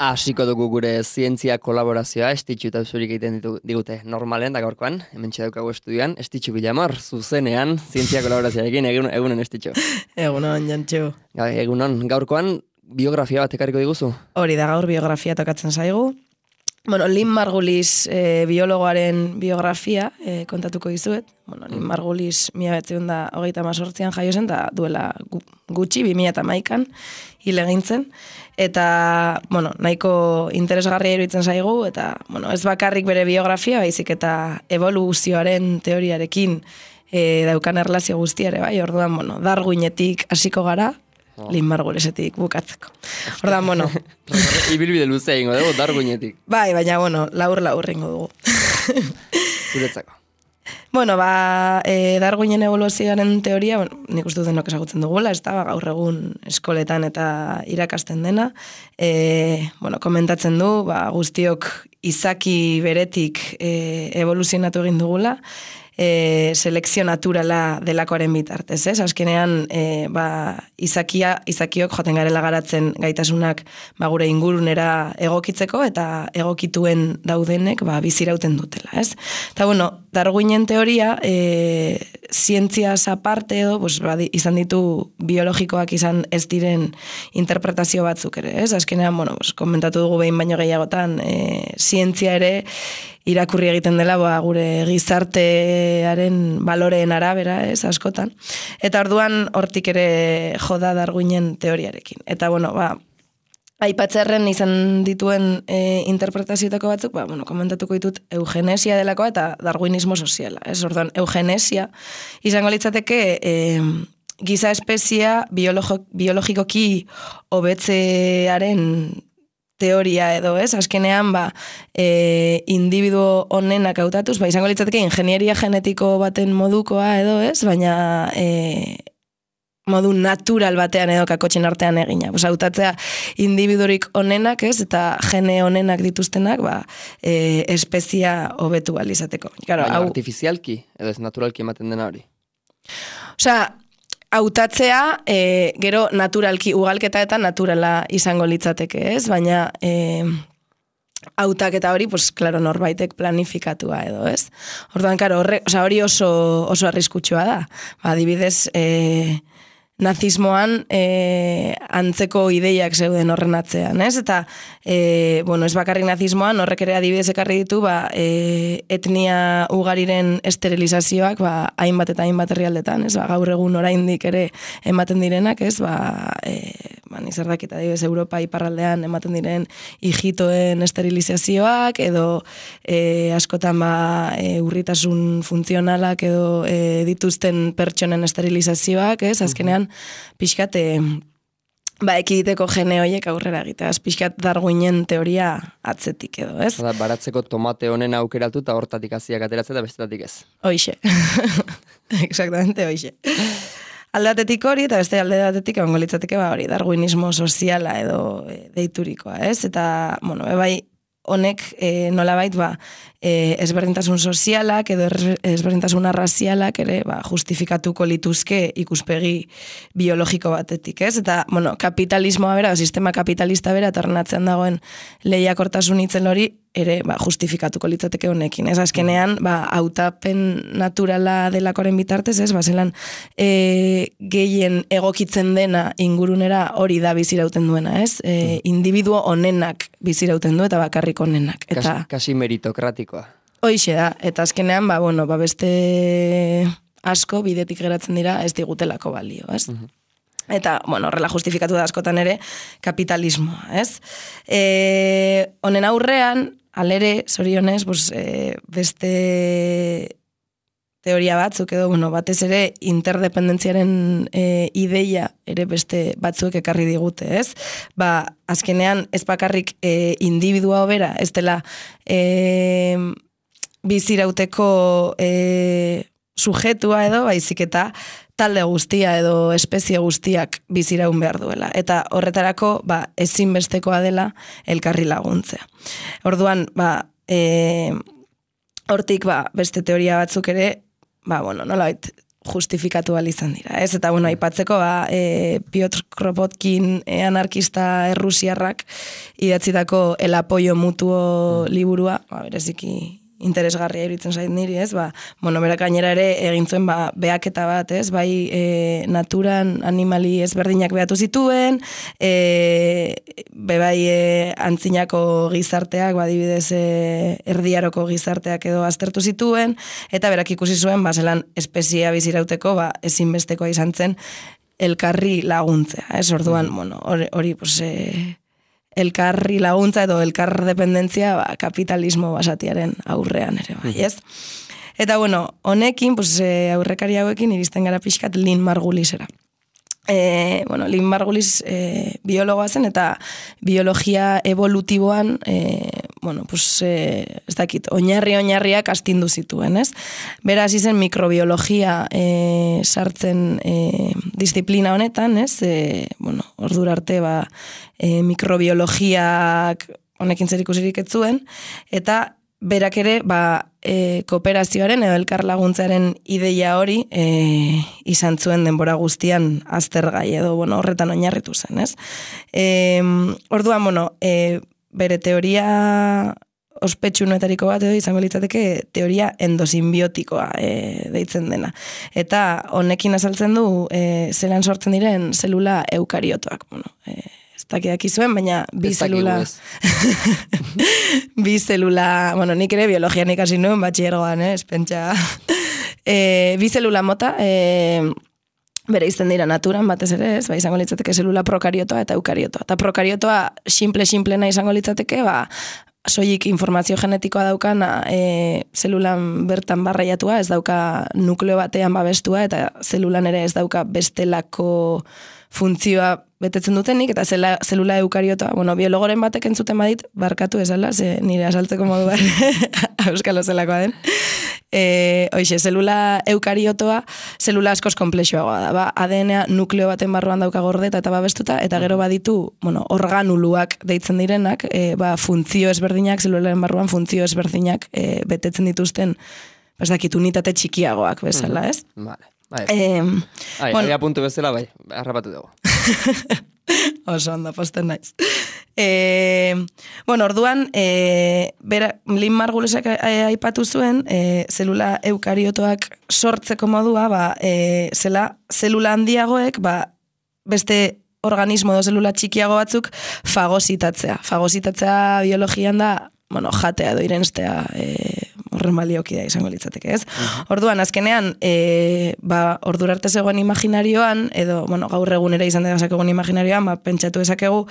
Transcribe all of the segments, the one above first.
Hasiko dugu gure zientzia kolaborazioa, Estitxu eta Zurik egiten digute normalen, da gaurkoan, hemen daukagu estudioan, Estitxu Bilamor, zuzenean, zientzia kolaborazioarekin, egunon Estitxu. Egunon, Jantxu. Egunon, gaurkoan, biografia bat ekarriko diguzu? Hori da, gaur biografia tokatzen zaigu. Bueno, Lynn Margulis biologoaren biografia kontatuko dizuet. Bueno, Lynn Margulis 1938an jaio zen, eta duela gutxi, 2011an, hil egin zen. Eta, bueno, nahiko interesgarria iruditzen zaigu, eta, bueno, ez bakarrik bere biografia, baizik eta evoluzioaren teoriarekin daukan erlazio guztiare, bai, orduan, bueno, Darwinetik hasiko gara, Lynn Margulisetik bukatzeko. Ordan, bueno. Ibilbide luzea ingo dugu, Darwinetik. Bai, baina, bueno, laur ingo dugu. Zuretzako. Bueno, Darwinen evoluzioaren teoria, bueno, nik uste denok ezagutzen dugula, ez da, gaur egun eskoletan eta irakasten dena. Bueno, komentatzen du, guztiok izaki beretik evoluzionatu egin dugula, selekzio naturala delakoaren bitartez, ez? Azkenean, izakiok joaten garela garatzen gaitasunak gure ingurunera egokitzeko eta egokituen daudenek bizirauten dutela, ez? Eta, bueno, Darwinen teoria, zientziaz aparte edo, izan ditu biologikoak izan ez diren interpretazio batzuk ere, ez? Azkenean, bueno, komentatu dugu behin baino gehiagotan, zientzia ere irakurri egiten dela gure gizartearen baloreen arabera, ez, askotan. Eta orduan hortik ere joda Darwinen teoriarekin. Eta, bueno, aipatzearren izan dituen interpretazioetako batzuk, bueno, komentatuko ditut eugenesia delakoa eta darwinismo soziala. Ez, orduan, eugenesia izango litzateke giza espezia biologikoki hobetzearen teoria edo, ez? Azkenean, individuo honenak hautatuz, izango litzateke ingenieria genetiko baten modukoa edo, ez? Baina modu natural batean edo kakotxen artean egina. Hautatzea individurik honenak, ez? Eta gene honenak dituztenak, espezia hobetu alizateko. Baina artifizialki, edo ez naturalki ematen dena hori? Osea, hautatzea, gero naturalki ugalketa eta naturala izango litzateke, ez? Baina hautaketa hori, klaro, norbaitek planifikatua edo, ez? Orduan, hori oso arriskutsua da. Adibidez, nazismoan antzeko ideiak zeuden horren atzean, ez? Eta, bueno, ez bakarrik nazismoan, horrek ere adibidez ekarri ditu, etnia ugariren esterilizazioak, hainbat eta hainbat herrialdetan, ez? Gaur egun oraindik ere ematen direnak, ez? Nizardakita adibidez Europa iparraldean ematen diren hijitoen esterilizazioak, edo askotan urritasun funtzionalak edo dituzten pertsonen esterilizazioak, ez? Azkenean, pixkat, ekiditeko gene horiek aurrera egitea, pixkat Darwinen teoria atzetik edo, ez? Baratzeko tomate honen aukeratu eta hortatik hasiak ateratzen eta bestetatik ez. Hoixe. Exactamente, hoixe. Alde batetik hori, eta beste alde batetik egongo litzateke hori, darwinismo soziala edo deiturikoa, ez? Eta, bueno, honek nolabait ezberdintasun sozialak edo ezberdintasun arrazialak ere justifikatuko lituzke ikuspegi biologiko batetik, ez? Eta, bueno, kapitalismoa bera, sistema kapitalista bera, tornatzean dagoen lehiakortasun itzen hori, ere justifikatuko litzateke honekin, ez? Azkenean, hautapen naturala delakoren bitartez, ez? Zelan gehien egokitzen dena ingurunera hori da bizirauten duena, ez? Individuo honenak bizirauten du eta bakarrik honenak. Kasi meritokratikoa. Hoixe da, eta azkenean, beste asko bidetik geratzen dira ez digutelako balio, ez? Eta, bueno, horrela justifikatu da askotan ere kapitalismoa, ez? Honen aurrean, alere, zorionez, beste teoria batzuk edo, bueno, batez ere interdependentziaren ideia ere beste batzuek ekarri digute, ez? Azkenean ez bakarrik individua hobera, ez dela bizirauteko sujetua edo, baizik eta talde guztia edo espezie guztiak biziraun behar duela. Eta horretarako, ezinbestekoa dela elkarri laguntzea. Orduan, hortik, beste teoria batzuk ere, nolabait, justifikatu izan dira, ez? Eta, bueno, aipatzeko, Piotr Kropotkin anarkista errusiarrak idatzitako El apoyo mutuo liburua, bereziki interesgarria iruditzen zait niri, ez? Berak gainera ere egin zuen behaketa bat, ez? Bai, naturan animali ezberdinak behatu zituen, bai antzinako gizarteak, adibidez erdiaroko gizarteak edo aztertu zituen, eta berak ikusi zuen, zelan espeziea bizirauteko, ezinbestekoa izan zen elkarri laguntzea, ez? Orduan, hori, elkarri laguntza edo elkar dependentzia kapitalismo basatiaren aurrean ere bai, ez? Eta honekin, aurrekari hauekin iristen gara pixkat Lynn Margulisera. Lynn Margulis biologoa zen eta biologia evolutiboan ez dakit, oinarriak astindu zituen, ez? Bera hasi zen mikrobiologia sartzen disiplina honetan, ez? Ordura arte mikrobiologiak honekin zer ikusirik ez zuen, eta berak ere kooperazioaren edo elkar laguntzaren ideia hori izan zuen denbora guztian aztergai edo horretan oinarritu zen, ez? Orduan, bere teoria ospetsuenetariko bat edo izango litzateke teoria endosimbiotikoa deitzen dena. Eta honekin azaltzen du zelan sortzen diren zelula eukariotoak. Ez dakiak izuen, baina bi zelula... bi zelula... nik ere biologian ikasi nuen, batxiergoan, espentsa. Bi zelula mota... bere izten dira naturan, batez ere, ez? Izango litzateke zelula prokariotoa eta eukariotoa. Eta prokariotoa simplena izango litzateke, soilik informazio genetikoa daukana zelulan bertan barraiatua, ez dauka nukleo batean babestua, eta zelulan ere ez dauka bestelako funtzioa betetzen dutenik, eta zelula eukariotoa, biologoren batek entzuten badit, barkatu esala, nire asaltzeko modu bat, euskalo zelakoa den. Hoxe, zelula eukariotoa, zelula askoz komplexuagoa da. ADN-a nukleo baten barruan dauka gordeta eta babestuta, eta gero baditu, organuluak deitzen direnak, funtzio ezberdinak, zelularen barruan funtzio ezberdinak betetzen dituzten, unitate txikiagoak bezala, ez? Vale. Aia puntu bezala, harrapatu dugu. Oso ondo, posten naiz. Orduan, Lynn Margulisek aipatu zuen, zelula eukariotoak sortzeko modua, zelula handiagoek, beste organismo edo zelula txikiago batzuk fagositatzea. Fagositatzea biologian da, jatea edo irenstea, horren balioki da izango litzateke, ez? Orduan, azkenean, ordura arte zegoen imaginarioan, edo, gaur egunera izan degazak egun imaginarioan, pentsatu ezakegu,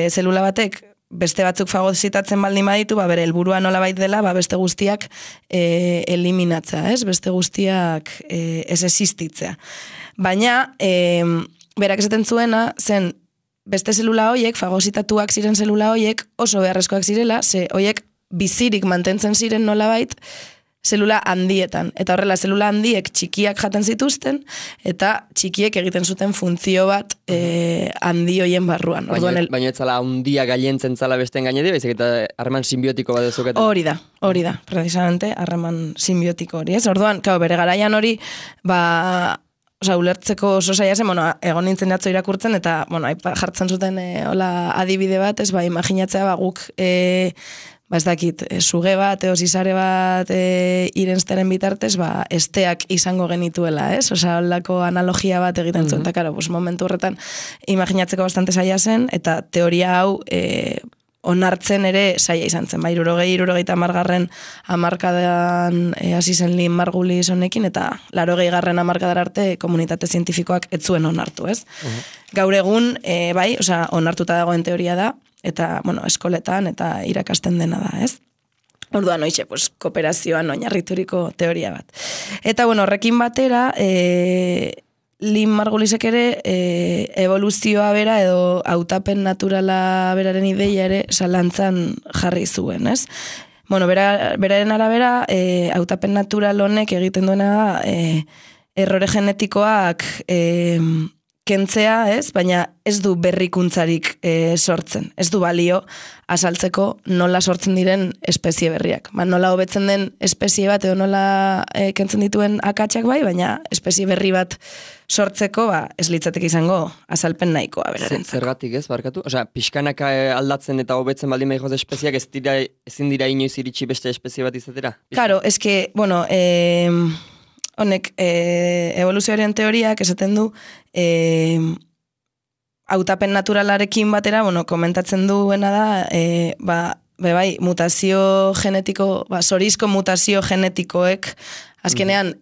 zelula batek beste batzuk fagositatzen baldin baditu, bere helburua nolabait dela, beste guztiak eliminatza, ez? Beste guztiak ez existitzea. Baina, berak esaten zuena, zen beste zelula hoiek, fagositatuak ziren zelula hoiek, oso beharrezkoak zirela, hoiek bizirik mantentzen ziren nolabait zelula handietan. Eta horrela, zelula handiek txikiak jaten zituzten, eta txikiek egiten zuten funtzio bat handi hoien barruan. Baina ez zala handia gailentzen zala besten gainedi, baizik eta harreman simbiotiko bat ezuketen. Hori da, precisamente, harreman simbiotiko hori, ez? Orduan, bere garaian hori, ulertzeko oso zaila zen, egon nintzen atzo irakurtzen, eta, jartzen zuten adibide bat, ez, imaginatzea, guk, ez dakit, suge bat, zizare bat irenstaren bitartez, esteak izango genituela, ez? Holako analogia bat egiten zuen, eta, momentu horretan, imaginatzeko bastante zaila zen, eta teoria hau, onartzen ere zaila izan zen, 60-70 hamarkadan hasi zen Lynn Margulis honekin, eta 80 hamarkadar arte komunitate zientifikoak ez zuen onartu, ez? Gaur egun, onartuta dagoen teoria da, eta, eskoletan eta irakasten dena da, ez? Orduan, kooperazioan oinarrituriko teoria bat. Eta, horrekin batera, Lynn Margulisek ere evoluzioa bera edo hautapen naturala beraren ideia ere zalantzan jarri zuen, ez? Beraren arabera, hautapen natural honek egiten duena da errore genetikoak kentzea, ez? Baina ez du berrikuntzarik sortzen. Ez du balio azaltzeko nola sortzen diren espezie berriak. Nola hobetzen den espezie bat edo nola kentzen dituen akatsak bai, baina espezie berri bat sortzeko ez litzateke izango azalpen nahikoa berarentzako. Zergatik ez, barkatu? Osea, pixkanaka aldatzen eta hobetzen baldin behikoz espeziak ezin dira inoiz iritsi beste espezie bat izatera? Claro, eske, bueno, honek, evoluzioaren teoriak esaten du, hautapen naturalarekin batera, bueno, komentatzen duena da, bai, mutazio genetiko, zorizko mutazio genetikoek, azkenean,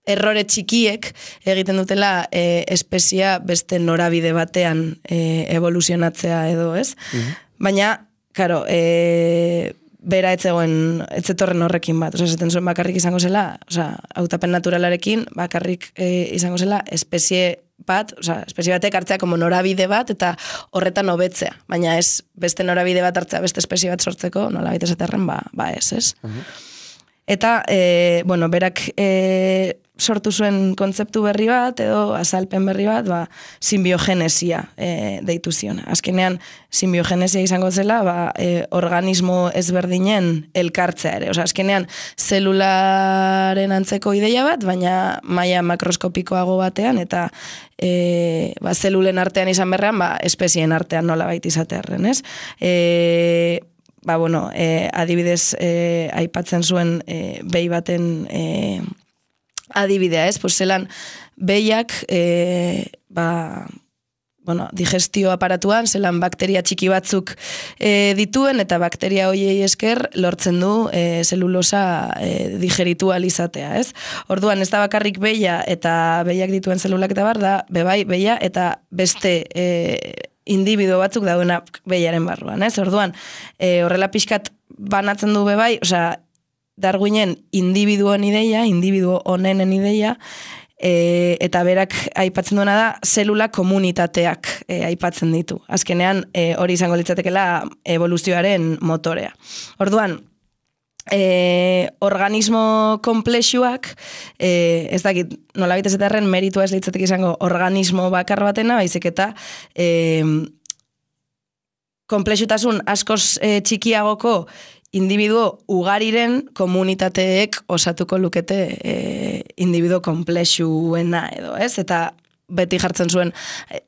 errore txikiek egiten dutela espezia beste norabide batean evoluzionatzea edo, ez? Baina, karo, bera etzetorren horrekin bat. Osa, zaten zuen bakarrik izango zela, hautapen naturalarekin bakarrik izango zela espezie bat, espezie batek hartzea como norabide bat eta horretan hobetzea. Baina ez beste norabide bat hartzea beste espezie bat sortzeko, nola baita esaterren, ez? Eta, bueno, berak sortu zuen kontzeptu berri bat, edo azalpen berri bat, simbiogenesia deitu zion. Azkenean, simbiogenesia izango zela, organismo ezberdinen elkartzea ere. Osa, azkenean, zelularen antzeko ideia bat, baina maila makroskopikoago batean, eta zelulen artean izan berrean, espezien artean nola baita izatearen, ez? Bueno, adibidez, aipatzen zuen behi baten adibidea, ez? Pues zelan behiak, bueno, digestio aparatuan, zelan bakteria txiki batzuk dituen, eta bakteria hoiei esker lortzen du zelulosa digeritu alizatea, ez? Orduan, ez da bakarrik behia eta behiak dituen zelulak eta bar, da, bebai, behia eta beste individuo batzuk daudenak behiaren barruan, ez? Orduan, horrela pixkat banatzen du bebai, osea, Darwinen individuoen ideia, individuo honenen ideia, eta berak aipatzen duena da, zelula komunitateak aipatzen ditu. Azkenean, hori izango litzatekela evoluzioaren motorea. Orduan, organismo komplexuak, ez dakit, nolabait ezetarren meritua ez litzatek izango organismo bakar batena, baizik eta komplexutasun askoz txikiagoko individuo ugariren komunitateek osatuko lukete individuo komplexuena edo, ez? Eta beti jartzen zuen,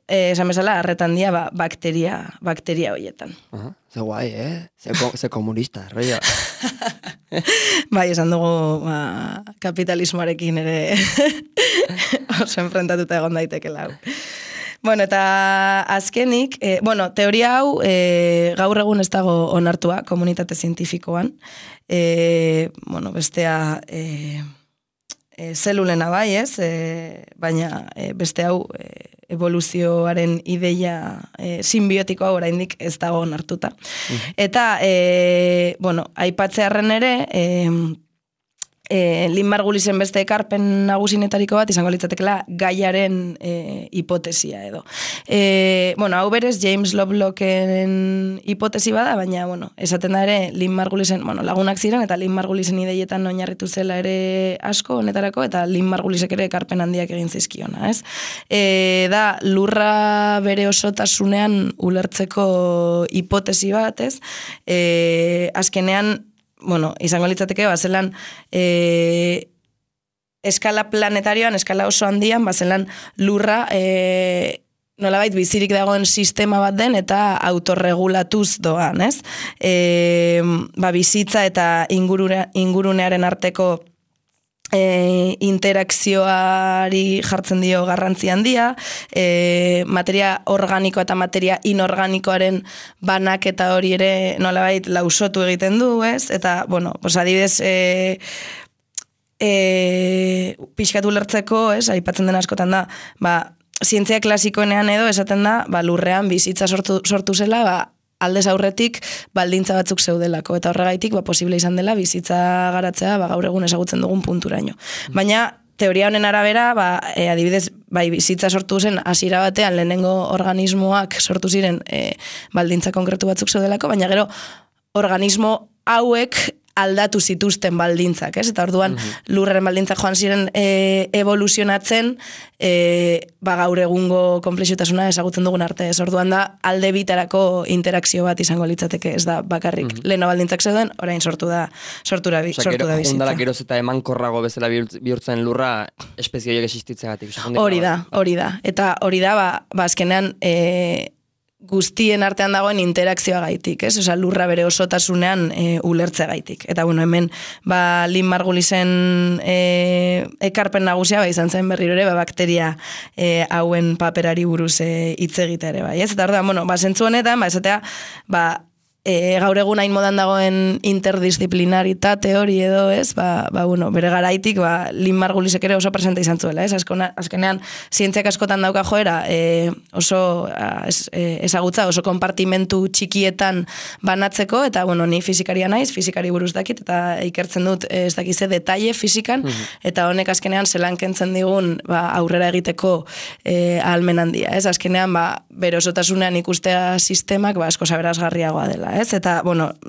esan bezala, arretan dia, bakteria horietan. Ze guai, Ze komunista, roia. Bai, esan dugu kapitalismoarekin ere oso enfrentatuta egon daitekela. Bueno, eta azkenik, teoria hau gaur egun ez dago onartua komunitate zientifikoan. Bestea zelulena bai, ez? Baina beste hau evoluzioaren ideia simbiotikoa oraindik ez dago onartuta. Eta, aipatzearren ere, Lynn Margulisen beste ekarpen nagusinetariko bat izango litzatekela gaiaren hipotesia edo. Hau berez James Lovelocken hipotesi bada, baina, esaten da ere Lynn Margulisen, lagunak ziren eta Lynn Margulisen ideietan oinarritu zela ere asko honetarako eta Lynn Margulisek ere ekarpen handiak egin zizkiona, ez? Da, lurra bere osotasunean ulertzeko hipotesi bat, ez? Azkenean, izango litzateke, bazelan eskala planetarioan, eskala oso handian, bazelan lurra nolabait bizirik dagoen sistema bat den eta autorregulatuz doan, ez? Bizitza eta ingurunearen arteko interakzioari jartzen dio garrantzi handia, materia organiko eta materia inorganikoaren banaketa hori ere nolabait lausotu egiten du, ez? Eta, adibidez, pixkatu lertzeko, ez? Aipatzen den askotan da, zientzia klasikoenean edo esaten da, lurrean bizitza sortu zela, aldez aurretik baldintza batzuk zeudelako, eta horregaitik posible izan dela bizitza garatzea gaur egun ezagutzen dugun punturaino. Baina teoria honen arabera, adibidez, bizitza sortu zen hasiera batean lehenengo organismoak sortu ziren baldintza konkretu batzuk zeudelako, baina gero organismo hauek aldatu zituzten baldintzak, ez? Eta orduan lurraren baldintzak joan ziren evoluzionatzen gaur egungo konplexutasuna ezagutzen dugun arte, ez? Orduan da alde bitarako interakzio bat izango litzateke, ez da bakarrik leheno baldintzak zeuden, orain sortu da bizitza. Jundala geroz eta emankorrago bezala bihurtzen lurra espezie horiek existitzeagatik. Hori da. Eta hori da, azkenean guztien artean dagoen interakzioa gaitik, ez? Osa, lurra bere osotasunean ulertzea gaitik. Eta, hemen, Lynn Margulisen ekarpen nagusia, izan zen berriro ere, bakteria hauen paperari buruz hitz egita ere, bai, ez? Eta, zentzu honetan, esatea, gaur egun hain modan dagoen interdisciplinaritate hori edo, ez? Bere garaitik, Lynn Margulisek ere oso presente izan zuela, ez? Azkenean, zientziak askotan dauka joera, oso ezagutza, oso konpartimentu txikietan banatzeko, eta, ni fizikaria naiz, fizikari buruz dakit, eta ikertzen dut, ez dakize, detaile fizikan, eta honek azkenean zelan kentzen digun aurrera egiteko ahalmen handia, ez? Azkenean, bere osotasunean ikustea sistemak, asko saberazgarriagoa dela, ez? Eta,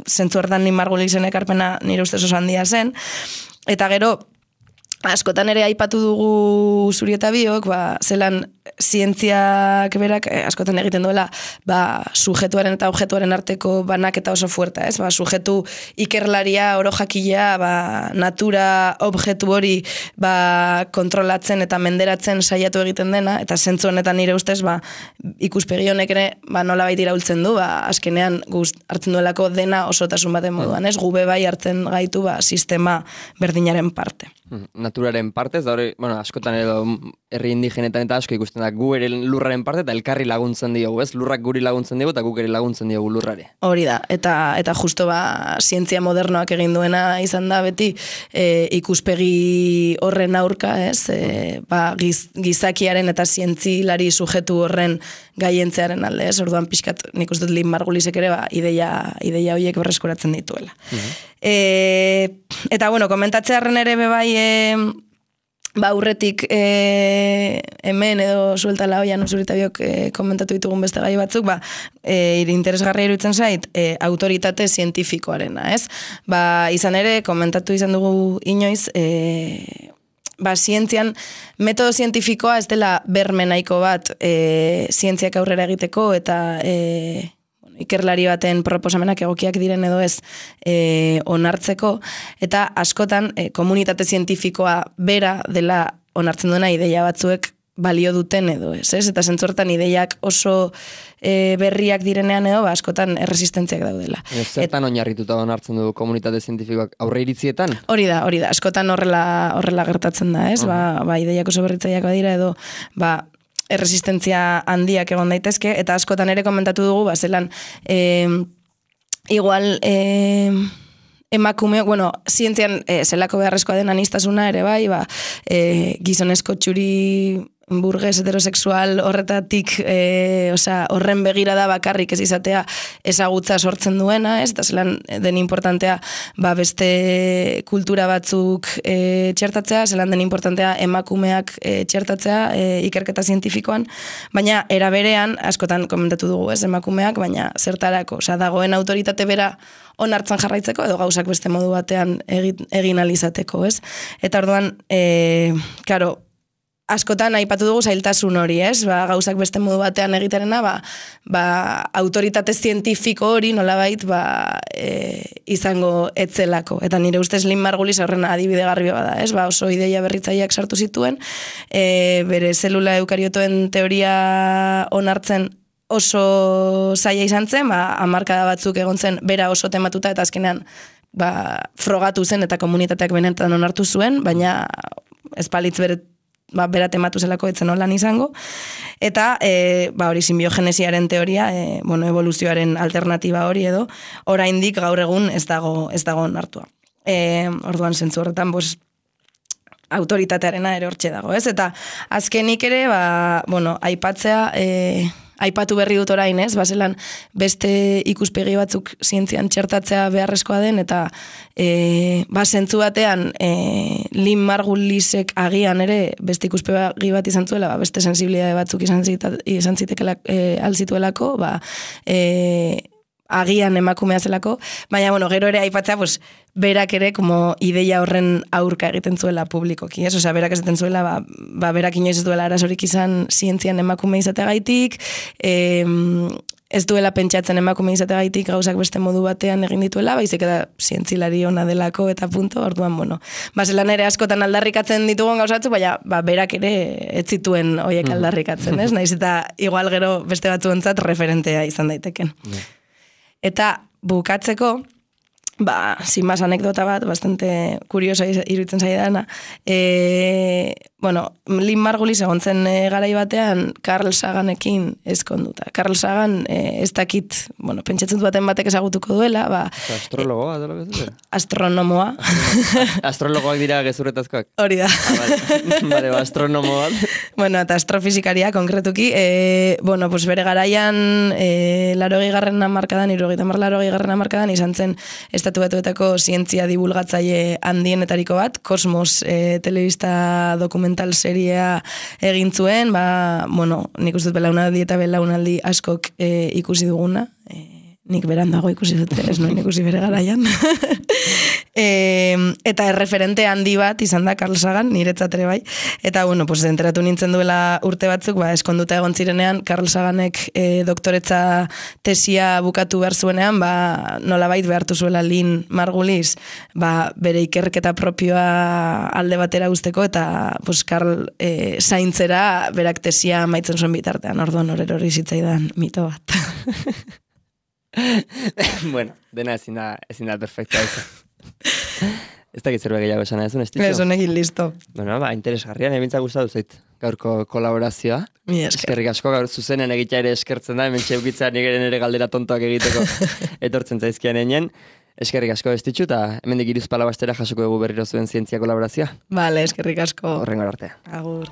zentzu hortan Lynn Margulisen ekarpena nire ustez oso handia zen, eta gero, askotan ere aipatu dugu zuri eta biok, zelan zientziak berak askotan egiten duela sujetuaren eta objektuaren arteko banaketa oso fuerta, ez? Sujetu ikerlaria, oro jakilea, natura objektu hori kontrolatzen eta menderatzen saiatu egiten dena, eta zentzu honetan nire ustez ikuspegi honek ere nolabait iraultzen du, azkenean hartzen duelako dena osotasun baten moduan, ez? Gube bai hartzen gaitu sistema berdinaren parte. Naturaren partez, da hori, askotan edo herri indigenetan eta asko ikusten da, gu ere lurraren parte eta elkarri laguntzen diogu, ez? Lurrak guri laguntzen diogu eta guk ere laguntzen diogu lurrare. Hori da, eta justo zientzia modernoak egin duena izan da beti ikuspegi horren aurka, ez? Gizakiaren eta zientzilari sujetu horren gaientzearen alde, ez? Orduan pixkat nik uste dut Lynn Margulisek ere ideia horiek berreskuratzen dituela. Eta, komentatzearen ere bebai aurretik hemen edo sueltala hoian usurita biok komentatu ditugun beste gai batzuk, interesgarria iruditzen zait, autoritate zientifikoarena, ez? Izan ere, komentatu izan dugu inoiz, zientzian, metodo zientifikoa ez dela berme nahiko bat zientziak aurrera egiteko eta ikerlari baten proposamenak egokiak diren edo ez onartzeko, eta askotan komunitate zientifikoa bera dela onartzen duena ideia batzuek balio duten edo ez, eta zentzortan ideiak oso berriak direnean edo, askotan erresistentziak daudela. Zertan oinarrituta onartzen du komunitate zientifikoak aurre iritzietan? Hori da, askotan horrela gertatzen da, ez? Ideiak oso berritzaiak badira edo, erresistentzia handiak egon daitezke, eta askotan ere komentatu dugu, zelan, igual, emakume, zientzian zelako beharrezkoa den aniztasuna ere bai, gizonezko txuri burges heterosexual horretatik horren begirada bakarrik ez izatea ezagutza sortzen duena, ez? Eta zelan den importantea beste kultura batzuk txertatzea, zelan den importantea emakumeak txertatzea ikerketa zientifikoan, baina era berean, askotan komentatu dugu, ez, emakumeak, baina zertarako, dagoen autoritate bera onartzen jarraitzeko edo gauzak beste modu batean egin alizateko, ez? Eta orduan, askotan aipatu dugu zailtasun hori, ez? Gauzak beste modu batean egiterena, autoritate zientifiko hori nolabait izango etzelako. Eta nire ustez Lynn Margulis horren adibide garbi bada, ez? Oso ideia berritzaileak sartu zituen, bere zelula eukariotoen teoria onartzen oso zaila izan zen, hamarkada batzuk egon zen bera oso tematuta eta azkenean frogatu zen eta komunitateak benetan onartu zuen, baina espalitz bera tematu zelako etzen holan izango. Eta hori sinbiogenesiaren teoria, evoluzioaren alternatiba hori edo, oraindik gaur egun ez dago onartua. Orduan zentzu horretan, autoritatearena ere hortxe dago, ez? Eta azkenik ere, aipatzea, aipatu berri dut orain, ez? Zelan beste ikuspegi batzuk zientzian txertatzea beharrezkoa den, eta zentzu batean Lynn Margulisek agian ere beste ikuspegi bat izan zuela, beste sensibilidade batzuk izan zituelako, agian emakumea zelako, baina, bueno, gero ere aipatzea, pues, berak ere, como ideia horren aurka egiten zuela publikoki, ez? Osea, berak esaten zuela, berak inoiz ez duela arazorik izan zientzian emakume izateagaitik, ez duela pentsatzen emakume izateagaitik gauzak beste modu batean egin dituela, baizik eta zientzilari ona delako eta punto, orduan, bueno. Zelan ere askotan aldarrikatzen ditugun gauzatzu, baina berak ere ez zituen horiek aldarrikatzen, ez? Naiz eta igual gero beste batzuentzat referentea izan daiteken. Eta bukatzeko, sin más anekdota bat, bastante kuriosa iruditzen zaidana. Bueno, Lynn Margulis egontzen garai batean Carl Saganekin ezkonduta. Carl Sagan ez dakit, bueno, pentsatzen baten batek ezagutuko duela, astrologoa, dela bezuzen? Astronomoa. Astrologoak dira gezuretazkoak? Hori da. Bale, astronomo bat. Bueno, eta astrofizikaria konkretuki, bueno, pues bere garaian 80. hamarkadan, 80. hamarkadan izan zen Estatu Batuetako zientzia divulgatzaile handienetariko bat, Kosmos telebista dokumental seria egin zuen, bueno, nik uste dut belaunaldi eta belaunaldi askok ikusi duguna, nik berandago ikusi dute, ez nuen ikusi bere garaian. Eta erreferente handi bat izan da Carl Sagan, niretzat ere bai. Eta, bueno, pues enteratu nintzen duela urte batzuk, eskonduta egon zirenean, Carl Saganek doktoretza tesia bukatu behar zuenean, nolabait behartu zuela Lynn Margulis, bere ikerketa propioa alde batera usteko, eta pues Carl zaintzera berak tesia maitzen zuen bitartean, orduan hori zitzaidan mito bat. Bueno, dena ezin da perfecta ez. Ez dakit zerbait gehiago esan ez, Estitxo? Ez honekin listo. Bueno, interesgarrian, ebintza gustatu zait gaurko kolaborazioa. Eskerrik asko gaur zuzenen egitea ere eskertzen da, hemen txeukitza ere galdera tontoak egiteko etortzen zaizkian einen. Eskerrik asko Estitxo, eta hemendik Hiruzpalau jasoko dugu berriro zuen zientzia kolaborazioa. Vale, eskerrik asko. Horrengo arte. Agur.